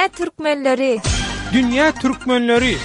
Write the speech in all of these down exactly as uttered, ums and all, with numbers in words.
Dünýä türkmenleri. Dünýä türkmenleri.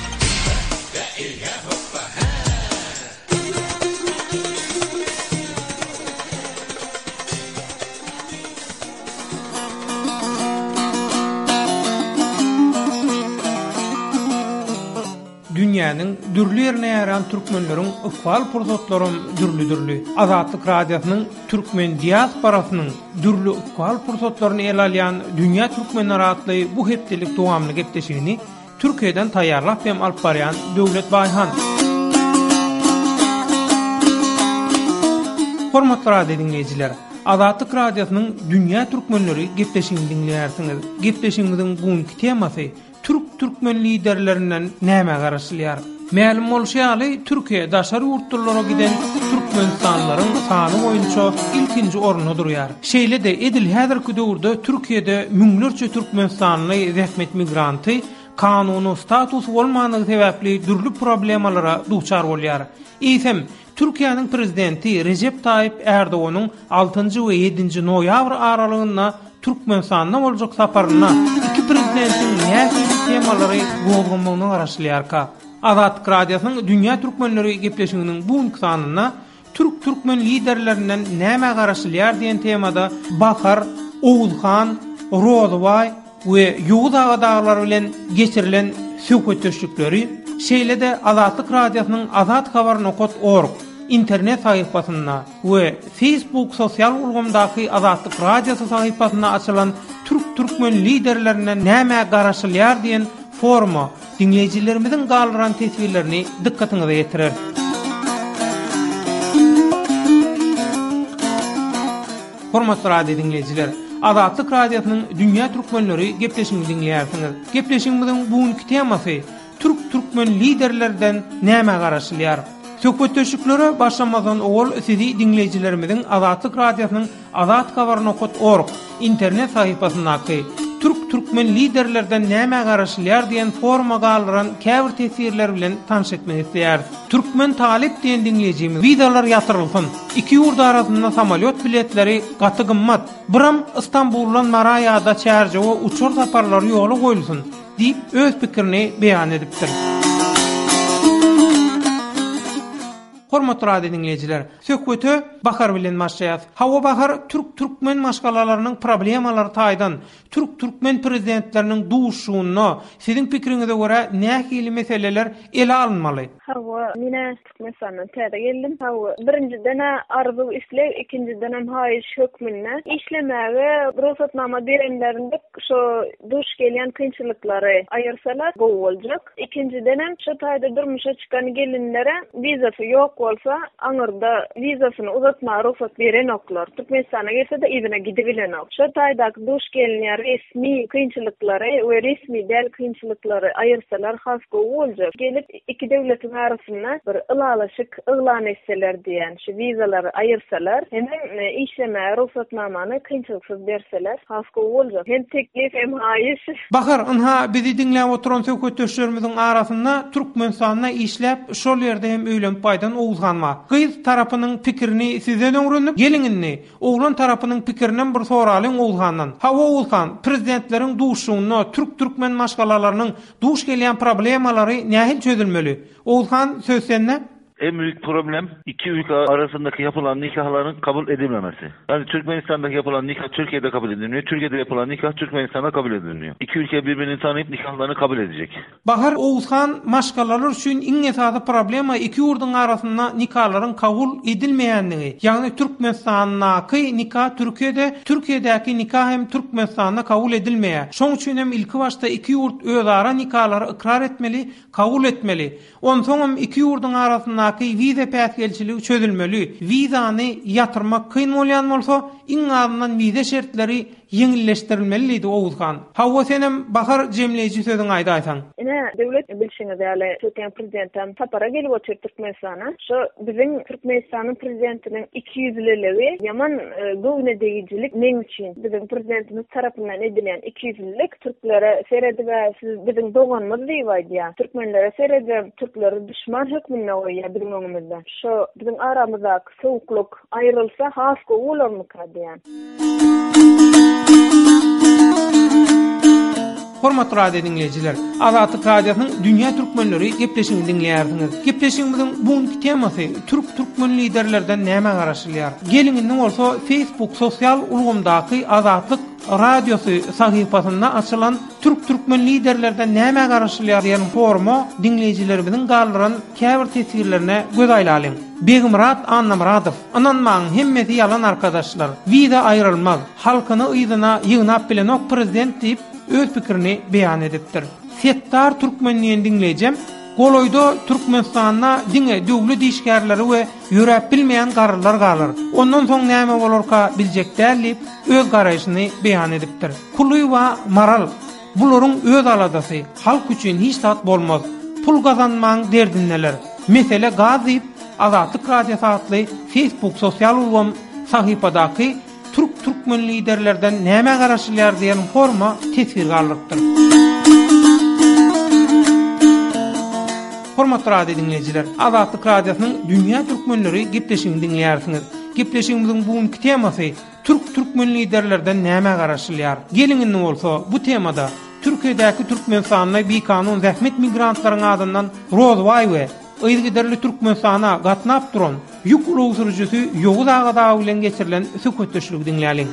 Dünýäniň dürli ýerine ýaýran türkmenleriň ykbal pursatlaram dürli-dürli. Azatlyk Radiosynyň türkmen diasporasynyň dürli ykbal pursatlaryny ele alýan Dünýä türkmenleri atly bu hepdelik dowamly gepleşigini Türkiýeden taýýarlap hem alyp barýan Döwlet Baýhan. Hormatly radio diňleýjiler, Azatlyk Radiosynyň Dünýä türkmenleri gepleşigini diňleýärsiňiz. Gepleşigimiziň bu günki temasy Türk-türkmen liderlerinden nämä garaşylýar? Mälim bolşy ýaly, Türkiýe daşary ýurtlulara giden türkmenistanlylaryň sany boýunça ilkinji orunda durýar. Şeýle-de, edil häzirki döwürde Türkiýede müňlerçe türkmenistanly zähmet migranty kanuny statusy bolmandygy sebäpli dürli problemalara duçar bolýar. Eýsem, Türkiýäniň prezidenti Rejep Taýyp Ärdoganyň altynjy we ýedinji noýabr aralygynda Türkmenistanda boljak saparynda iki prezidentiň nähili temalary gozgamagyna garaşylýarka? Azatlyk Radiosynyň Dünýä türkmenleri gepleşiginiň bu günki sanynda Türk-türkmen liderlerinden nämä garaşylýar diýen temada Bahar, Oguzhan, Rozybaý we Ýowuz aga dagylar bilen geçirilen söhbetdeşlikleri, şeýle-de Azatlyk Radiosynyň Azat Habar nokat org internet sahypasynda we Facebook sosial ulgamdaky Azatlyk Radiosy sahypasynda açylan Türk-türkmen liderlerinden nämä garaşylýar diýen foruma diňleýjilerimiziň galdyran teswirlerini dykgatyňyza ýetireris. Hormatly radio diňleýjiler, Azatlyk Radiosynyň Dünýä türkmenleri gepleşigini diňleýärsiňiz. Gepleşigimiziň bu günki temasy Türk-türkmen liderlerden nämä garaşylýar? Söhbetdeşliklere başlamazdan owal sizi diňleýjilerimiziň Azatlyk Radiosynyň Azathabar nokat org internet sahypasyndaky Türk-türkmen liderlerden nämä garaşylýar diýen foruma galdyran käbir teswirler bilen tanyş etmek isleýäris. Türkmen talyp diýen diňleýjimiz wizalar ýatyrylsyn. Iki ýurt arasynda samolýot biletleri gaty gymmat. Biram Istanbuldan Mara ýa-da Çärjewe uçar saparlary ýola goýulsyn diýip öz pikirini beýan edipdir. Hormatly radio diňleýjiler, söhbete Bahar bilen başlaýas. Hawa Bahar türk-türkmen maşgalalarynyň problemalary taýdan türk-türkmen prezidentleriniň duşuşygynda siziň pikiriňize görä nähili meseleler ele alynmaly? Hawa, men-ä Türkmenistandan täze geldim. Hawa, birinjiden-ä arzuw-isleg, ikinjidenem haýyş hökmünde işlemäge rugsatnama berenlerinde şo duş gelýän kynçylyklary aýyrsalar gowy boljak. Ikinjidenem şo taýda durmuşa çykan gelinlere wizasy ýok bolsa, aňyrda wizasyny uzatmaga rugsat berenoklar. Türkmenistana gelse-de yzyna gidibilenok. Şo taýdaky duş gelinýän resmi kynçylyklary we resmi däl kynçylyklary aýyrsalar has gowy boljak. Gelip iki döwletiň arasynda bir ylalaşyk yglan etseler diýen, şu wizalary aýyrsalar, hemem işlemäge rugsatnamany kynçylyksyz berseler has gowy boljak. Hem teklip hem haýyş. Bahar, ynha bizi diňläp oturan söhbetdeşlerimiziň arasynda Türkmenistanda işläp, şol ýerde hem öýlenip gaýdan Oguzhan bar. Gyz tarapynyň pikirini sizden öwrendik, geliň indi, oglan tarapynyň pikirinem bir soralyň Oguzhandan. Hawa Oguzhan, prezidentleriň duşuşygynda türk-türkmen maşgalalarynyň duş gelýän problemalary nähili çözülmeli? Oguzhan, söz sende. En büyük problem iki ülke arasındaki yapılan nikahların kabul edilmemesi. Yani Türkmenistan'daki yapılan nikah Türkiye'de kabul edilmiyor. Türkiye'de yapılan nikah Türkmenistan'da kabul edilmiyor. İki ülke birbirini tanıyıp nikahlarını kabul edecek. Bahar Oguzhan maşgalalar üçin iň esasy problema iki ýurduň arasynda nikalaryň kabul edilmeýändigi. Ýagny Türkmenistandaky nika Türkiýede, Türkiýedäki nika hem Türkmenistanda kabul edilmeýär. Şoň üçin hem ilki başda iki ýurt özara nikalary ykrar etmeli, kabul etmeli. Onsoňam iki ýurduň arasyndaky wiza päsgelçiligi çözülmeli. Wizany ýatyrmak kyn bolýan bolsa, iň azyndan wiza şertleri ýeňilleşdirilmeli diýdi Oguzhan. Hawa senem Bahar jemleýji sözüňi aýdaýsaň. Ine, döwlet bilşiňiz ýaly, Türkiýäniň prezidentem sapara gelip otyr Türkmenistana. Şo biziň Türkmenistanyň prezidentiniň ikiýüzlüligi ýaman göwnedegijilik meň üçin. Biziň prezidentimiz tarapyndan edilýän ikiýüzlülik türklere seredib-ä siz biziň doganymyz diýip aýdýar. Türkmenlere seredibem türkleri duşman hökmünde goýýar biziň öňümizde. Şo biziň aramyzdaky sowuklyk aýrylsa has gowy bolarmyka diýýän. Hormatly radio dinleýjiler, Azatlyk Radiosynyň Dünýä Türkmenleri gepleşigini diňleýärsiňiz. Gepleşigimiziň bugünki temasy Türk türkmen liderlerden näme garaşylýar? Geliň indi bolsa Facebook sosial ulgamdaky Azatlyk Radiosy sahypasynda açylan Türk türkmen liderlerden näme garaşylýar diýen foruma dinleýjilerimiziň galdyran käbir teswirlerine göz aýlalyň. Begimrat Annamradow, ynanmaň hemmesi ýalan arkadaşlar. Wiza aýrylmaz, halkyny yzyna ýygnap bilenok prezident diýip öz pikirini beýan edipdir. Settar Türkmen diýen dinleýjem, Golaýda Türkmenistanda diňe döwlet işgärleri we ýöräp bilmeýän garrylar galar. Ondan soň näme bolarka biljek däl diýip öz garaýşyny beýan edipdir. Kulywa Maral bularyň öz aladasy, halk üçin hiç zat bolmaz. Pul gazanmaň derdindeler. Mesele gaz diýip Azatlyk Radiosy atly Facebook sosial ulgam sahypadaky Türk türkmen liderlerden näme garaşylýar diýen forma teswir galdyrypdyr. Hormatly radio dinleýjiler, Azatlyk Radiosynyň Dünýä Türkmenleri gepleşigini diňleýärsiňiz. Gepleşigimiziň bugünki temasy Türk türkmen liderlerden näme garaşylýar? Geliň indi bolsa bu temada Türkiýedäki Türkmenistanda bikanun zähmet migrantlaryň adyndan Rozbaý we yzygiderli Türkmenistana gatnap duran ýük ulag sürüjisi Ýowuz aga dagy bilen geçirilen söhbetdeşligi diňläliň.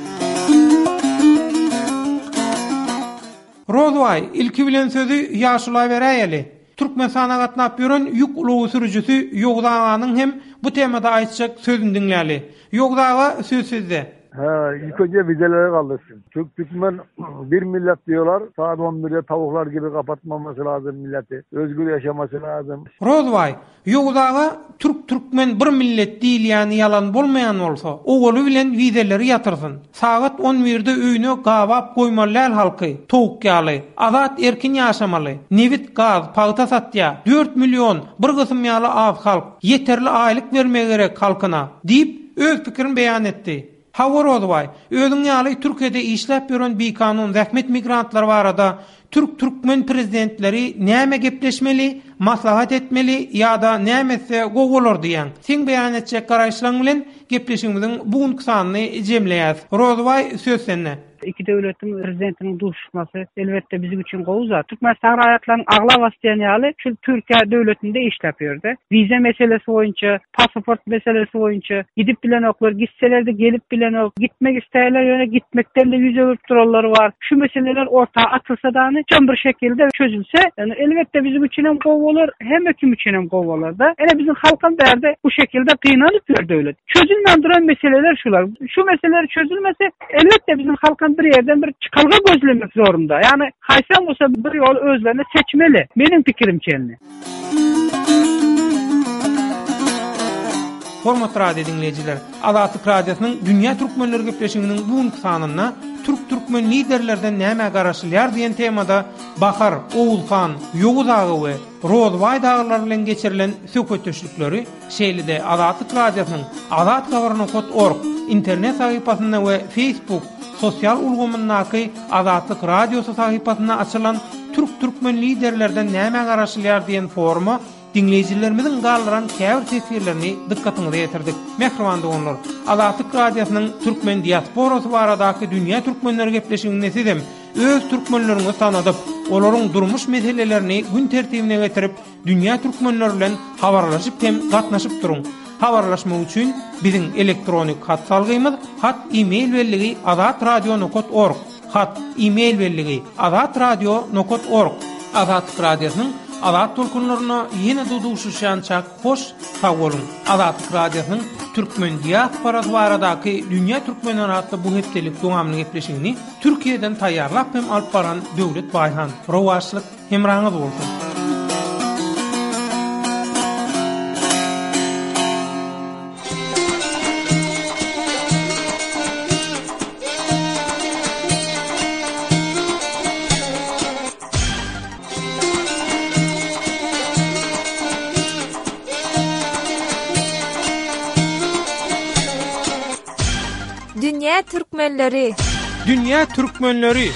Rozbaý, ilki bilen sözi ýaşula beräýeli. Türkmenistana gatnap ýören ýük ulag sürüjisi Ýowuz aganyň hem bu temada aýtjak sözüni diňläli. Ýowuz aga söz sizde. Ha, ilk önce vizeleri kaldırsın. Türk Türkmen bir millet diyorlar. Saat on birde tavuklar gibi kapatmaması lazım milleti. Özgür yaşaması lazım. Rozbaý, Ýowuz aga Türk Türkmen bir millet diýilýäni ýalan bolmaýan bolsa, owaly bilen wizeleri ýatyrsyn. Sagat on birde öýüne gabap goýmaly däl halky, towuk ýaly. Azat erkin ýaşamaly. Nebit, gaz, pagta satýa. dört million bir gysym ýaly az halk. Ýeterli aýlyk bermegi gerek halkyna diýip öz pikirini beýan etdi. Hawa Rozbaý, özüň ýaly Türkiýede işläp ýören bikanun zähmet migrantlary barada Türk türkmen prezidentleri näme gepleşmeli, maslahat etmeli ýa-da näme etse gowy bolar diýen. Sen beýan etjek garaýyşlaryň bilen gepleşigimiziň bugünki sanyny jemleýäs. Rozbaý söz sende. Iki döwletiň prezidentiniň duşuşmasy elbetde bizim üçin gowy zat. Türkmenistan raýatlarynyň aglabasy diýen ýaly şu Türkiýe döwletinde işläp ýördi. Wiza meselesi boýunça, pasaport meselesi boýunça gidip bilenoklar, gitseler de gelip bilenok, gitmek isteýärler, ýöne gitmekden de ýüz öwürip duranlar bar. Şu meseleler orta atylsa da çöm bir şekilde çözülse, yani elbetde bizim üçin hem gowy bolar, hem kim üçin hem gowy bolar da. Ene bizim halkam derdi bu şekilde kynanyp ýör döwlet. Çözülmän duran meseleler şular. Şu meseleler çözülmese elbetde bizim halkam bir yerden bir çıkalga gözlemek zorunda. Yani haysan olsa bir yol özlerine seçmeli. Benim fikrim çenli. Hormatly radio dinleýjiler, Azatlyk Radiosynyň Dünýä Türkmenleri gepleşiginiň bugünki sanynda Türk türkmen liderlerden näme garaşylýar diýen temada Bahar, Oğuzhan, Ýowuz aga we Rozbaý daglar bilen geçirilen söhbetdeşlikleri şeýle-de Azatlyk Radiosynyň azat habar nokta org internet sahypasynda we Facebook sosial ulgamyndaky Azatlyk Radiosy sahypasynda açylan Türk türkmen liderlerden näme garaşylýar diýen foruma dinleýjilerimiziň galdyran käbir teswirlerini dykgatyňyza ýetirdik. Mähriban doganlar, Azatlyk Radiosynyň Türkmen diasporasy baradaky Dünýä Türkmenleri gepleşiginde sizem öz türkmenleriňizi tanadyp, olaryň durmuş meselelerini gün tertibine getirip, dünýä türkmenleri bilen habarlaşyp hem gatnaşyp duruň. Habarlaşmak üçin biziň elektronik hat salgymyz hat e-mail belligi azatradio nokta org hat e-mail belligi azatradio nokta org. Azatlyk Radiosynyň Azat tolkunlaryna ýene duşuşýança hoş sag boluň. Azatlyk Radiosynyň Türkmen diasporasy baradaky Dünýä Türkmenleri atly bu hepdelik dowamly gepleşigini Türkiýeden taýýarlap hem alyp baran Döwlet Baýhan. Rowaçlyk hemraňyz bolsun. Dünya Türkmenleri. Dünya Türkmenleri.